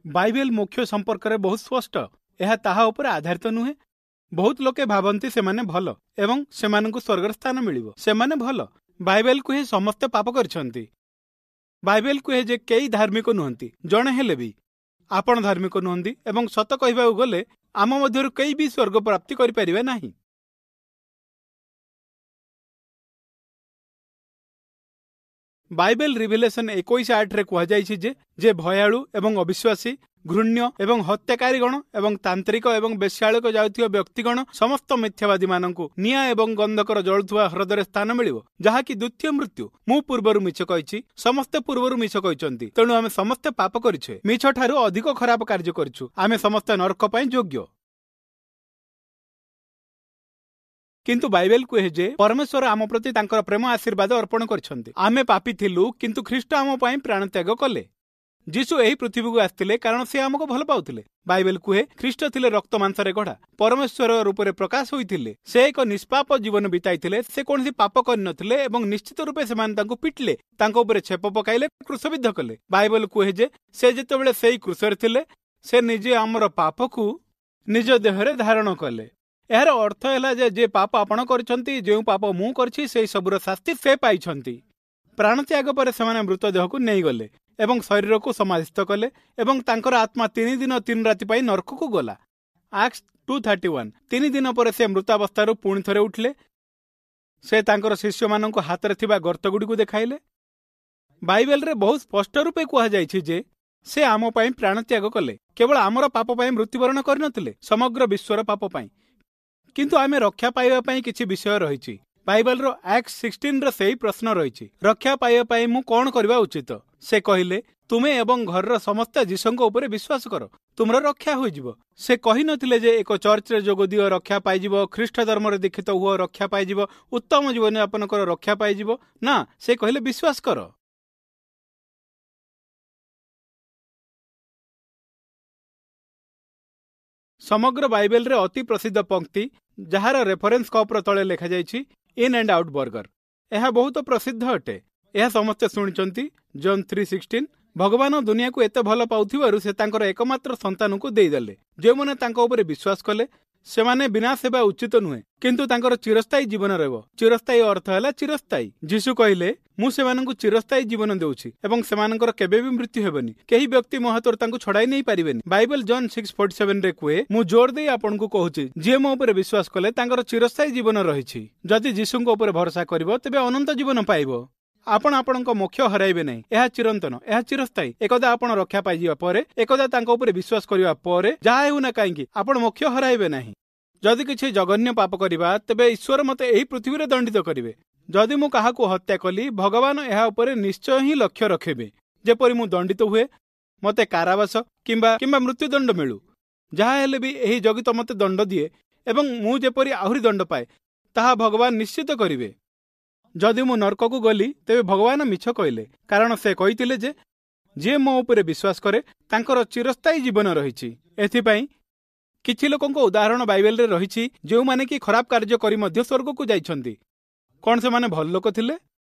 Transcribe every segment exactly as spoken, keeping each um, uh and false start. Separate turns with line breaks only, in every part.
Bible ମୋକ୍ଷ ସମ୍ପର୍କରେ ବହୁତ ସ୍ପଷ୍ଟ। ଏହା ତାହା ଉପରେ ଆଧାରିତ ନୁହେଁ। ବହୁତ ଲୋକେ ଭାବନ୍ତି ସେମାନେ ଭଲ ଏବଂ ସେମାନଙ୍କୁ ସ୍ୱର୍ଗର ସ୍ଥାନ ମିଳିବ। ସେମାନେ ଭଲ। ବାଇବେଲ କୁହେ ସମସ୍ତେ ପାପ କରିଛନ୍ତି। ବାଇବେଲ କୁହେ ଯେ କେହି ଧାର୍ମିକ ନୁହନ୍ତି, ଜଣେ ହେଲେ ବି। ଆପଣ ଧାର୍ମିକ ନୁହନ୍ତି ଏବଂ ସତ କହିବାକୁ ଗଲେ ଆମ ମଧ୍ୟରୁ କେହି ବି ସ୍ୱର୍ଗ ପ୍ରାପ୍ତି କରିପାରିବେ ନାହିଁ। ବାଇବେଲ ରିଭିଲେସନ ଏକୋଇଶ ଆଠରେ କୁହାଯାଇଛି ଯେ ଯେ ଭୟାଳୁ ଏବଂ ଅବିଶ୍ୱାସୀ, ଘୃଣ୍ୟ ଏବଂ ହତ୍ୟାକାରୀଗଣ ଏବଂ ତାନ୍ତ୍ରିକ ଏବଂ ବେଶ୍ୟାଳୟକୁ ଯାଉଥିବା ବ୍ୟକ୍ତିଗଣ, ସମସ୍ତ ମିଥ୍ୟାବାଦୀମାନଙ୍କୁ ନିଆଁ ଏବଂ ଗନ୍ଧକର ଜଳୁଥିବା ହ୍ରଦରେ ସ୍ଥାନ ମିଳିବ, ଯାହାକି ଦ୍ୱିତୀୟ ମୃତ୍ୟୁ। ମୁଁ ପୂର୍ବରୁ ମିଛ କହିଛି, ସମସ୍ତେ ପୂର୍ବରୁ ମିଛ କହିଛନ୍ତି, ତେଣୁ ଆମେ ସମସ୍ତେ ପାପ କରିଛେ, ମିଛ ଠାରୁ ଅଧିକ ଖରାପ କାର୍ଯ୍ୟ କରିଛୁ। ଆମେ ସମସ୍ତେ ନରକ ପାଇଁ ଯୋଗ୍ୟ। କିନ୍ତୁ ବାଇବେଲ କୁହେ ଯେ ପରମେଶ୍ୱର ଆମ ପ୍ରତି ତାଙ୍କର ପ୍ରେମ ଆଶୀର୍ବାଦ ଅର୍ପଣ କରିଛନ୍ତି। ଆମେ ପାପୀ ଥିଲୁ, କିନ୍ତୁ ଖ୍ରୀଷ୍ଟ ଆମ ପାଇଁ ପ୍ରାଣତ୍ୟାଗ କଲେ। ଯୀଶୁ ଏହି ପୃଥିବୀକୁ ଆସିଥିଲେ କାରଣ ସେ ଆମକୁ ଭଲ ପାଉଥିଲେ। ବାଇବେଲ କୁହେ ଖ୍ରୀଷ୍ଟ ଥିଲେ ରକ୍ତ ମାଂସରେ ଗଢ଼ା, ପରମେଶ୍ୱର ରୂପରେ ପ୍ରକାଶ ହୋଇଥିଲେ। ସେ ଏକ ନିଷ୍ପାପ ଜୀବନ ବିତାଇଥିଲେ, ସେ କୌଣସି ପାପ କରିନଥିଲେ ଏବଂ ନିଶ୍ଚିତ ରୂପେ ସେମାନେ ତାଙ୍କୁ ପିଟିଲେ, ତାଙ୍କ ଉପରେ ଛେପ ପକାଇଲେ, କ୍ରୁଶବିଦ୍ଧ କଲେ। ବାଇବେଲ କୁହେ ଯେ ସେ ଯେତେବେଳେ ସେଇ କ୍ରୁଶରେ ଥିଲେ, ସେ ନିଜେ ଆମର ପାପକୁ ନିଜ ଦେହରେ ଧାରଣ କଲେ। ଏହାର ଅର୍ଥ ହେଲା ଯେ ଯେ ପାପ ଆପଣ କରିଛନ୍ତି, ଯେଉଁ ପାପ ମୁଁ କରିଛି, ସେଇ ସବୁର ଶାସ୍ତି ସେ ପାଇଛନ୍ତି। ପ୍ରାଣତ୍ୟାଗ ପରେ ସେମାନେ ମୃତଦେହକୁ ନେଇଗଲେ ଏବଂ ଶରୀରକୁ ସମାଧିସ୍ଥ କଲେ ଏବଂ ତାଙ୍କର ଆତ୍ମା ତିନି ଦିନ ତିନି ରାତି ପାଇଁ ନର୍କକୁ ଗଲା। Acts two thirty one. ତିନି ଦିନ ପରେ ସେ ମୃତାବସ୍ଥାରୁ ପୁଣି ଥରେ ଉଠିଲେ। ସେ ତାଙ୍କର ଶିଷ୍ୟମାନଙ୍କୁ ହାତରେ ଥିବା ଗର୍ତ୍ତଗୁଡ଼ିକୁ ଦେଖାଇଲେ। ବାଇବେଲରେ ବହୁତ ସ୍ପଷ୍ଟ ରୂପେ କୁହାଯାଇଛି ଯେ ସେ ଆମ ପାଇଁ ପ୍ରାଣତ୍ୟାଗ କଲେ। କେବଳ ଆମର ପାପ ପାଇଁ ମୃତ୍ୟୁବରଣ କରିନଥିଲେ, ସମଗ୍ର ବିଶ୍ୱର ପାପ ପାଇଁ। କିନ୍ତୁ ଆମେ ରକ୍ଷା ପାଇବା ପାଇଁ କିଛି ବିଷୟ ରହିଛି। ବାଇବେଲର ଆକ୍ଟ ସିକ୍ସଟିନ୍ର ସେହି ପ୍ରଶ୍ନ ରହିଛି, ରକ୍ଷା ପାଇବା ପାଇଁ ମୁଁ କ'ଣ କରିବା ଉଚିତ? ସେ କହିଲେ, ତୁମେ ଏବଂ ଘରର ସମସ୍ତେ ଯୀଶୁଙ୍କ ଉପରେ ବିଶ୍ୱାସ କର, ତୁମର ରକ୍ଷା ହୋଇଯିବ। ସେ କହିନଥିଲେ ଯେ ଏକ ଚର୍ଚ୍ଚରେ ଯୋଗ ଦିଅ ରକ୍ଷା ପାଇଯିବ, ଖ୍ରୀଷ୍ଟ ଧର୍ମରେ ଦୀକ୍ଷିତ ହୁଅ ରକ୍ଷା ପାଇଯିବ, ଉତ୍ତମ ଜୀବନଯାପନ କର ରକ୍ଷା ପାଇଯିବ। ନା, ସେ କହିଲେ ବିଶ୍ୱାସ କର। ସମଗ୍ର ବାଇବେଲରେ ଅତି ପ୍ରସିଦ୍ଧ ପଙ୍କ୍ତି, ଯାହାର ରେଫରେନ୍ସ କପ୍ର ତଳେ ଲେଖାଯାଇଛି ଇନ୍ ଆଣ୍ଡ ଆଉଟ୍ ବର୍ଗର, ଏହା ବହୁତ ପ୍ରସିଦ୍ଧ ଅଟେ। ଏହା ସମସ୍ତେ ଶୁଣିଛନ୍ତି। ଜନ୍ ଥ୍ରୀ ସିକ୍ସଟିନ୍। ଭଗବାନ ଦୁନିଆକୁ ଏତେ ଭଲ ପାଉଥିବାରୁ ସେ ତାଙ୍କର ଏକମାତ୍ର ସନ୍ତାନକୁ ଦେଇଦେଲେ। ଯେଉଁମାନେ ତାଙ୍କ ଉପରେ ବିଶ୍ୱାସ କଲେ ସେମାନେ ବିନାଶ ହେବା ଉଚିତ ନୁହେଁ, କିନ୍ତୁ ତାଙ୍କର ଚିରସ୍ଥାୟୀ ଜୀବନ ରହିବ। ଚିରସ୍ଥାୟୀ ଅର୍ଥ ହେଲା ଚିରସ୍ଥାୟୀ। ଯୀଶୁ କହିଲେ, ମୁଁ ସେମାନଙ୍କୁ ଚିରସ୍ଥାୟୀ ଜୀବନ ଦେଉଛି ଏବଂ ସେମାନଙ୍କର କେବେ ବି ମୃତ୍ୟୁ ହେବନି। କେହି ବ୍ୟକ୍ତି ମୋ ହାତରୁ ତାଙ୍କୁ ଛଡ଼ାଇ ନେଇ ପାରିବେନି। ବାଇବେଲ ଜନ୍ ସିକ୍ସ ଫୋର୍ଟି ସେଭେନରେ କୁହେ, ମୁଁ ଜୋର ଦେଇ ଆପଣଙ୍କୁ କହୁଛି, ଯିଏ ମୋ ଉପରେ ବିଶ୍ୱାସ କଲେ ତାଙ୍କର ଚିରସ୍ଥାୟୀ ଜୀବନ ରହିଛି। ଯଦି ଯୀଶୁଙ୍କ ଉପରେ ଭରସା କରିବ ତେବେ ଅନନ୍ତ ଜୀବନ ପାଇବ। ଆପଣ ଆପଣଙ୍କ ମୋକ୍ଷ ହରାଇବେ ନାହିଁ। ଏହା ଚିରନ୍ତନ, ଏହା ଚିରସ୍ଥାୟୀ। ଏକଦା ଆପଣ ରକ୍ଷା ପାଇଯିବା ପରେ, ଏକଦା ତାଙ୍କ ଉପରେ ବିଶ୍ୱାସ କରିବା ପରେ, ଯାହା ହେଉନା କାହିଁକି ଆପଣ ମୋକ୍ଷ ହରାଇବେ ନାହିଁ। ଯଦି କିଛି ଜଘନ୍ୟ ପାପ କରିବା, ତେବେ ଈଶ୍ୱର ମୋତେ ଏହି ପୃଥିବୀରେ ଦଣ୍ଡିତ କରିବେ। ଯଦି ମୁଁ କାହାକୁ ହତ୍ୟା କଲି, ଭଗବାନ ଏହା ଉପରେ ନିଶ୍ଚୟ ହିଁ ଲକ୍ଷ୍ୟ ରଖିବେ, ଯେପରି ମୁଁ ଦଣ୍ଡିତ ହୁଏ, ମୋତେ କାରାବାସ କିମ୍ବା କିମ୍ବା ମୃତ୍ୟୁଦଣ୍ଡ ମିଳୁ। ଯାହା ହେଲେ ବି ଏହି ଜଗତ ମୋତେ ଦଣ୍ଡ ଦିଏ ଏବଂ ମୁଁ ଯେପରି ଆହୁରି ଦଣ୍ଡ ପାଏ, ତାହା ଭଗବାନ ନିଶ୍ଚିତ କରିବେ। ଯଦି ମୁଁ ନର୍କକୁ ଗଲି, ତେବେ ଭଗବାନ ମିଛ କହିଲେ, କାରଣ ସେ କହିଥିଲେ ଯେ ଯିଏ ମୋ ଉପରେ ବିଶ୍ୱାସ କରେ ତାଙ୍କର ଚିରସ୍ଥାୟୀ ଜୀବନ ରହିଛି। ଏଥିପାଇଁ କିଛି ଲୋକଙ୍କ ଉଦାହରଣ ବାଇବେଲରେ ରହିଛି, ଯେଉଁମାନେ କି ଖରାପ କାର୍ଯ୍ୟ କରି ମଧ୍ୟ ସ୍ୱର୍ଗକୁ ଯାଇଛନ୍ତି। କ'ଣ ସେମାନେ ଭଲ ଲୋକ ଥିଲେ?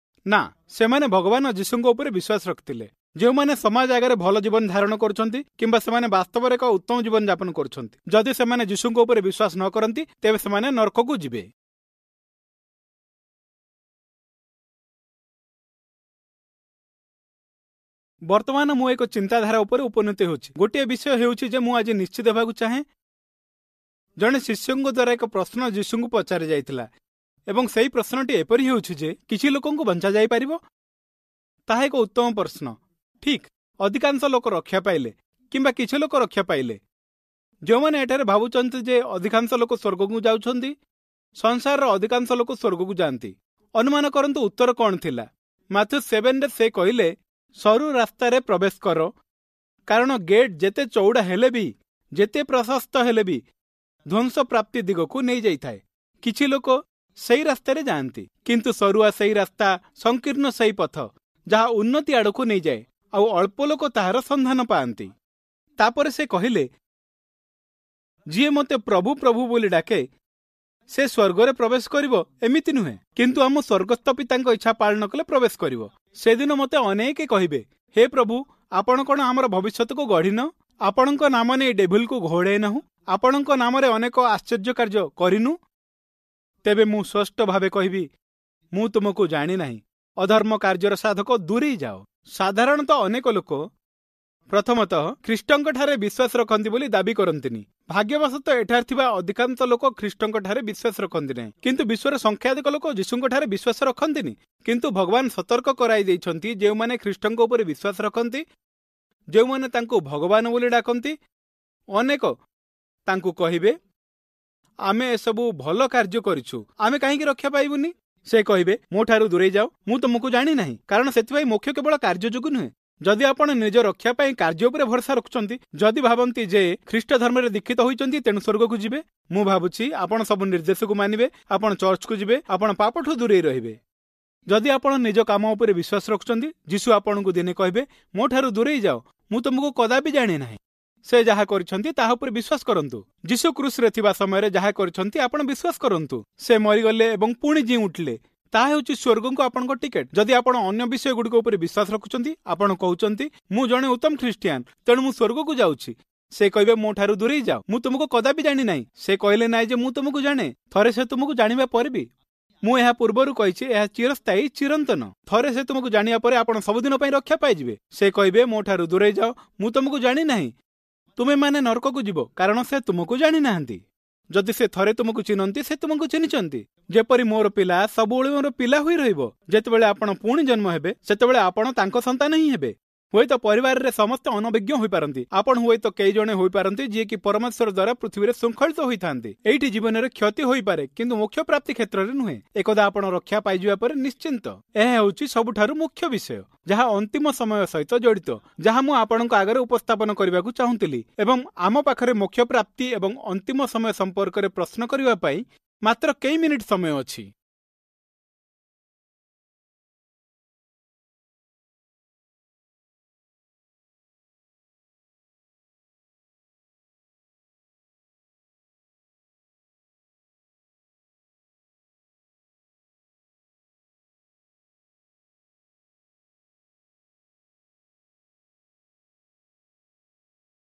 ନା, ସେମାନେ ଭଗବାନ ଯୀଶୁଙ୍କ ଉପରେ ବିଶ୍ୱାସ ରଖିଥିଲେ। ଯେଉଁମାନେ ସମାଜ ଆଗରେ ଭଲ ଜୀବନ ଧାରଣ କରୁଛନ୍ତି କିମ୍ବା ସେମାନେ ବାସ୍ତବରେ ଏକ ଉତ୍ତମ ଜୀବନ ଯାପନ କରୁଛନ୍ତି, ଯଦି ସେମାନେ ଯୀଶୁଙ୍କ ଉପରେ ବିଶ୍ୱାସ ନ କରନ୍ତି ତେବେ ସେମାନେ ନର୍କକୁ ଯିବେ। ବର୍ତ୍ତମାନ ମୁଁ ଏକ ଚିନ୍ତାଧାରା ଉପରେ ଉପନୀତ ହେଉଛି। ଗୋଟିଏ ବିଷୟ ହେଉଛି ଯେ ମୁଁ ଆଜି ନିଶ୍ଚିତ ହେବାକୁ ଚାହେଁ, ଜଣେ ଶିଷ୍ୟଙ୍କ ଦ୍ୱାରା ଏକ ପ୍ରଶ୍ନ ଯୀଶୁଙ୍କୁ ପଚରା ଯାଇଥିଲା ଏବଂ ସେହି ପ୍ରଶ୍ନଟି ଏପରି ହେଉଛି ଯେ କିଛି ଲୋକଙ୍କୁ ବଞ୍ଚାଯାଇପାରିବ? ତାହା ଏକ ଉତ୍ତମ ପ୍ରଶ୍ନ। ଠିକ୍, ଅଧିକାଂଶ ଲୋକ ରକ୍ଷା ପାଇଲେ କିମ୍ବା କିଛି ଲୋକ ରକ୍ଷା ପାଇଲେ। ଯେଉଁମାନେ ଏଠାରେ ଭାବୁଛନ୍ତି ଯେ ଅଧିକାଂଶ ଲୋକ ସ୍ୱର୍ଗକୁ ଯାଉଛନ୍ତି, ସଂସାରର ଅଧିକାଂଶ ଲୋକ ସ୍ୱର୍ଗକୁ ଯାଆନ୍ତି। ଅନୁମାନ କରନ୍ତୁ ଉତ୍ତର କ'ଣ ଥିଲା। ମାଥ୍ୟୁ ସେଭେନରେ ସେ କହିଲେ, ସରୁ ରାସ୍ତାରେ ପ୍ରବେଶ କର, କାରଣ ଗେଟ୍ ଯେତେ ଚଉଡ଼ା ହେଲେ ବି, ଯେତେ ପ୍ରଶସ୍ତ ହେଲେ ବି ଧ୍ୱଂସ ପ୍ରାପ୍ତି ଦିଗକୁ ନେଇଯାଇଥାଏ। କିଛି ଲୋକ ସେଇ ରାସ୍ତାରେ ଯାଆନ୍ତି, କିନ୍ତୁ ସରୁଆ ସେଇ ରାସ୍ତା, ସଂକୀର୍ଣ୍ଣ ସେଇ ପଥ ଯାହା ଉନ୍ନତି ଆଡ଼କୁ ନେଇଯାଏ, ଆଉ ଅଳ୍ପ ଲୋକ ତାହାର ସନ୍ଧାନ ପାଆନ୍ତି। ତାପରେ ସେ କହିଲେ, ଯିଏ ମୋତେ ପ୍ରଭୁ ପ୍ରଭୁ ବୋଲି ଡାକେ ସେ ସ୍ୱର୍ଗରେ ପ୍ରବେଶ କରିବ ଏମିତି ନୁହେଁ, କିନ୍ତୁ ଆମ ସ୍ୱର୍ଗସ୍ଥ ପିତାଙ୍କ ଇଚ୍ଛା ପାଳନ କଲେ ପ୍ରବେଶ କରିବ। ସେଦିନ ମୋତେ ଅନେକ କହିବେ, ହେ ପ୍ରଭୁ, ଆପଣ କ'ଣ ଆମର ଭବିଷ୍ୟତକୁ ଗଢ଼ିନ? ଆପଣଙ୍କ ନାମ ନେଇ ଡେଭିଲକୁ ଘୋଡ଼େଇ ନାହୁଁ, ଆପଣଙ୍କ ନାମରେ ଅନେକ ଆଶ୍ଚର୍ଯ୍ୟ କାର୍ଯ୍ୟ କରିନୁ? ତେବେ ମୁଁ ସ୍ପଷ୍ଟ ଭାବେ କହିବି, ମୁଁ ତୁମକୁ ଜାଣିନାହିଁ, ଅଧର୍ମ କାର୍ଯ୍ୟର ସାଧକ, ଦୂରେଇ ଯାଅ। ସାଧାରଣତଃ ଅନେକ ଲୋକ ପ୍ରଥମତଃ ଖ୍ରୀଷ୍ଟଙ୍କଠାରେ ବିଶ୍ୱାସ ରଖନ୍ତି ବୋଲି ଦାବି କରନ୍ତିନି। ଭାଗ୍ୟବଶତଃ ଏଠାରେ ଥିବା ଅଧିକାଂଶ ଲୋକ ଖ୍ରୀଷ୍ଟଙ୍କଠାରେ ବିଶ୍ୱାସ ରଖନ୍ତି ନାହିଁ, କିନ୍ତୁ ବିଶ୍ୱର ସଂଖ୍ୟାଧିକ ଲୋକ ଯୀଶୁଙ୍କଠାରେ ବିଶ୍ୱାସ ରଖନ୍ତିନି। କିନ୍ତୁ ଭଗବାନ ସତର୍କ କରାଇ ଦେଇଛନ୍ତି, ଯେଉଁମାନେ ଖ୍ରୀଷ୍ଟଙ୍କ ଉପରେ ବିଶ୍ୱାସ ରଖନ୍ତି, ଯେଉଁମାନେ ତାଙ୍କୁ ଭଗବାନ ବୋଲି ଡାକନ୍ତି, ଅନେକ ତାଙ୍କୁ କହିବେ, ଆମେ ଏସବୁ ଭଲ କାର୍ଯ୍ୟ କରିଛୁ, ଆମେ କାହିଁକି ରକ୍ଷା ପାଇବୁନି? ସେ କହିବେ, ମୋ ଠାରୁ ଦୂରେଇ ଯାଅ, ମୁଁ ତୁମକୁ ଜାଣିନାହିଁ। କାରଣ ସେଥିପାଇଁ ମୋକ୍ଷ କେବଳ କାର୍ଯ୍ୟ ଯୋଗୁଁ ନୁହେଁ। ଯଦି ଆପଣ ନିଜ ରକ୍ଷା ପାଇଁ କାର୍ଯ୍ୟ ଉପରେ ଭରସା ରଖୁଛନ୍ତି, ଯଦି ଭାବନ୍ତି ଯେ ଖ୍ରୀଷ୍ଟ ଧର୍ମରେ ଦୀକ୍ଷିତ ହୋଇଛନ୍ତି ତେଣୁ ସ୍ୱର୍ଗକୁ ଯିବେ, ମୁଁ ଭାବୁଛି ଆପଣ ସବୁ ନିର୍ଦ୍ଦେଶକୁ ମାନିବେ, ଆପଣ ଚର୍ଚ୍ଚକୁ ଯିବେ, ଆପଣ ପାପଠୁ ଦୂରେଇ ରହିବେ। ଯଦି ଆପଣ ନିଜ କାମ ଉପରେ ବିଶ୍ୱାସ ରଖୁଛନ୍ତି, ଯୀଶୁ ଆପଣଙ୍କୁ ଦିନେ କହିବେ, ମୋ ଠାରୁ ଦୂରେଇ ଯାଅ, ମୁଁ ତୁମକୁ କଦାପି ଜାଣି ନାହିଁ। ସେ ଯାହା କରିଛନ୍ତି ତାହା ଉପରେ ବିଶ୍ୱାସ କରନ୍ତୁ। ଯୀଶୁ କ୍ରୁଶରେ ଥିବା ସମୟରେ ଯାହା କରିଛନ୍ତି ଆପଣ ବିଶ୍ୱାସ କରନ୍ତୁ। ସେ ମରିଗଲେ ଏବଂ ପୁଣି ଜିଇଁ ଉଠିଲେ, ତାହା ହେଉଛି ସ୍ୱର୍ଗକୁ ଆପଣଙ୍କ ଟିକେଟ୍। ଯଦି ଆପଣ ଅନ୍ୟ ବିଷୟ ଗୁଡ଼ିକ ଉପରେ ବିଶ୍ୱାସ ରଖୁଛନ୍ତି, ଆପଣ କହୁଛନ୍ତି ମୁଁ ଜଣେ ଉତ୍ତମ ଖ୍ରୀଷ୍ଟିଆନ, ତେଣୁ ମୁଁ ସ୍ୱର୍ଗକୁ ଯାଉଛି, ସେ କହିବେ ମୋ ଠାରୁ ଦୂରେଇ ଯାଅ, ମୁଁ ତୁମକୁ କଦାପି ଜାଣି ନାହିଁ। ସେ କହିଲେ ନାହିଁ ଯେ ମୁଁ ତୁମକୁ ଜାଣେ। ଥରେ ସେ ତୁମକୁ ଜାଣିବା ପରେ ବି, ମୁଁ ଏହା ପୂର୍ବରୁ କହିଛି, ଏହା ଚିରସ୍ଥାୟୀ, ଚିରନ୍ତନ। ଥରେ ସେ ତୁମକୁ ଜାଣିବା ପରେ ଆପଣ ସବୁଦିନ ପାଇଁ ରକ୍ଷା ପାଇଯିବେ। ସେ କହିବେ ମୋ ଠାରୁ ଦୂରେଇ ଯାଅ, ମୁଁ ତୁମକୁ ଜାଣି ନାହିଁ। ତୁମେମାନେ ନରକକୁ ଯିବ, କାରଣ ସେ ତୁମକୁ ଜାଣିନାହାନ୍ତି। ଯଦି ସେ ଥରେ ତୁମକୁ ଚିହ୍ନନ୍ତି, ସେ ତୁମକୁ ଚିହ୍ନିଛନ୍ତି। ଯେପରି ମୋର ପିଲା ସବୁବେଳେ ମୋର ପିଲା ହୋଇ ରହିବ। ଯେତେବେଳେ ଆପଣ ପୁଣି ଜନ୍ମ ହେବେ, ସେତେବେଳେ ଆପଣ ତାଙ୍କ ସନ୍ତାନ ହିଁ ହେବେ। ହୁଏତ ପରିବାରରେ ସମସ୍ତେ ଅନଭିଜ୍ଞ ହୋଇପାରନ୍ତି। ଆପଣ ହୁଏତ କେହି ଜଣେ ହୋଇପାରନ୍ତି ଯିଏକି ପରମେଶ୍ୱର ଦ୍ୱାରା ପୃଥିବୀରେ ଶୃଙ୍ଖଳିତ ହୋଇଥାନ୍ତି। ଏଇଠି ଜୀବନରେ କ୍ଷତି ହୋଇପାରେ, କିନ୍ତୁ ମୋକ୍ଷ ପ୍ରାପ୍ତି କ୍ଷେତ୍ରରେ ନୁହେଁ। ଏକଦା ଆପଣ ରକ୍ଷା ପାଇଯିବା ପରେ ନିଶ୍ଚିନ୍ତ। ଏହା ହେଉଛି ସବୁଠାରୁ ମୁଖ୍ୟ ବିଷୟ, ଯାହା ଅନ୍ତିମ ସମୟ ସହିତ ଜଡ଼ିତ, ଯାହା ମୁଁ ଆପଣଙ୍କ ଆଗରେ ଉପସ୍ଥାପନ କରିବାକୁ ଚାହୁଁଥିଲି। ଏବଂ ଆମ ପାଖରେ ମୋକ୍ଷ ପ୍ରାପ୍ତି ଏବଂ ଅନ୍ତିମ ସମୟ ସମ୍ପର୍କରେ ପ୍ରଶ୍ନ କରିବା ପାଇଁ ମାତ୍ର କେଇ ମିନିଟ୍ ସମୟ ଅଛି।